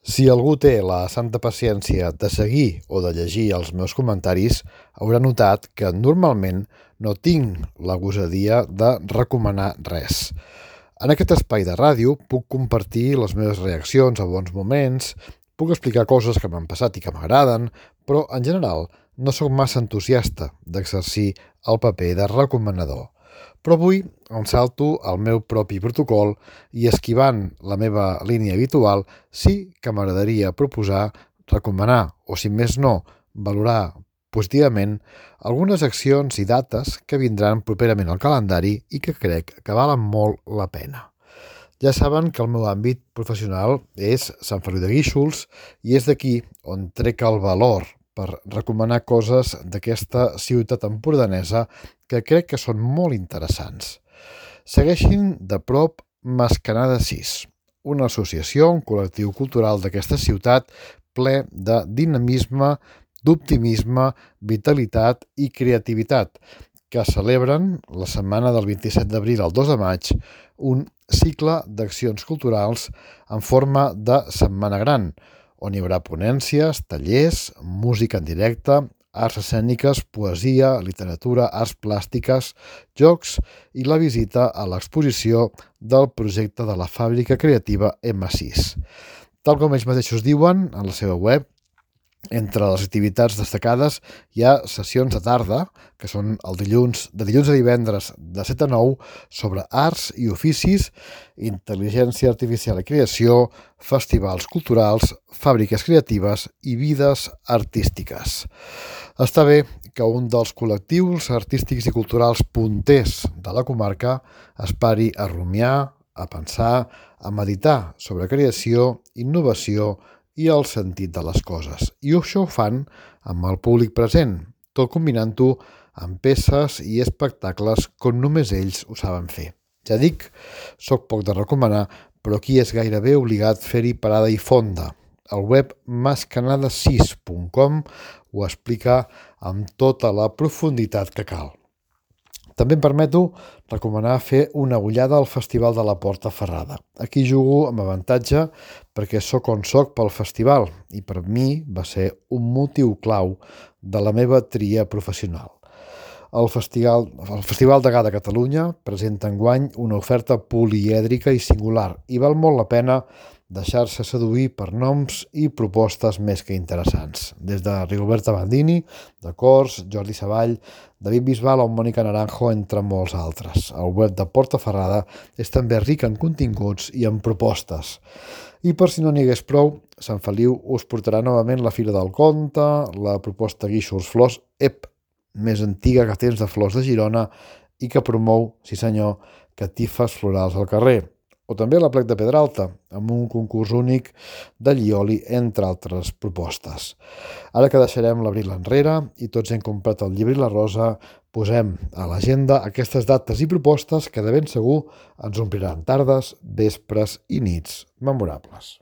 Si algú té la santa paciència de seguir o de llegir els meus comentaris, haurà notat que normalment no tinc la gosadia de recomanar res. En aquest espai de ràdio puc compartir les meves reaccions a bons moments, puc explicar coses que m'han passat i que m'agraden, però en general no sóc massa entusiasta d'exercir el paper de recomanador. Però avui em salto el meu propi protocol i esquivant la meva línia habitual sí que m'agradaria proposar, recomanar o, si més no, valorar positivament algunes accions i dates que vindran properament al calendari i que crec que valen molt la pena. Ja saben que el meu àmbit professional és Sant Feliu de Guíxols i és d'aquí on trec el valor per recomanar coses d'aquesta ciutat empordanesa que crec que són molt interessants. Segueixin de prop Mascanada 6, una associació, un col·lectiu cultural d'aquesta ciutat ple de dinamisme, d'optimisme, vitalitat i creativitat, que celebren la setmana del 27 d'abril al 2 de maig un cicle d'accions culturals en forma de Setmana Gran, on hi haurà ponències, tallers, música en directe, arts escèniques, poesia, literatura, arts plàstiques, jocs i la visita a l'exposició del projecte de la fàbrica creativa M6. Tal com ells mateixos diuen en la seva web, entre les activitats destacades hi ha sessions de tarda, que són de dilluns a divendres de 7 a 9, sobre arts i oficis, intel·ligència artificial i creació, festivals culturals, fàbriques creatives i vides artístiques. Està bé que un dels col·lectius artístics i culturals punters de la comarca es pari a rumiar, a pensar, a meditar sobre creació, innovació i el sentit de les coses. I això ho fan amb el públic present, tot combinant-ho amb peces i espectacles com només ells ho saben fer. Ja dic, soc poc de recomanar, però aquí és gairebé obligat fer-hi parada i fonda. El web mascanada6.com ho explica amb tota la profunditat que cal. També em permeto recomanar fer una ullada al Festival de la Porta Ferrada. Aquí jugo amb avantatge perquè sóc on soc pel festival i per mi va ser un motiu clau de la meva tria professional. El Festival de Gà de Catalunya presenta enguany una oferta polièdrica i singular i val molt la pena deixar-se seduir per noms i propostes més que interessants. Des de Rigoberta Bandini, de Cors, Jordi Savall, David Bisbal o Mònica Naranjo, entre molts altres. El web de Porta Ferrada és també ric en continguts i en propostes. I per si no n'hi hagués prou, Sant Feliu us portarà novament la Fira del Conte, la proposta Guíxols Flors, més antiga que temps de flors de Girona i que promou, sí senyor, catifes florals al carrer. O també la Plec de Pedralta, amb un concurs únic de llioli, entre altres propostes. Ara que deixarem l'abril enrere i tots hem comprat el llibre i la rosa, posem a l'agenda aquestes dates i propostes que de ben segur ens ompliran tardes, vespres i nits memorables.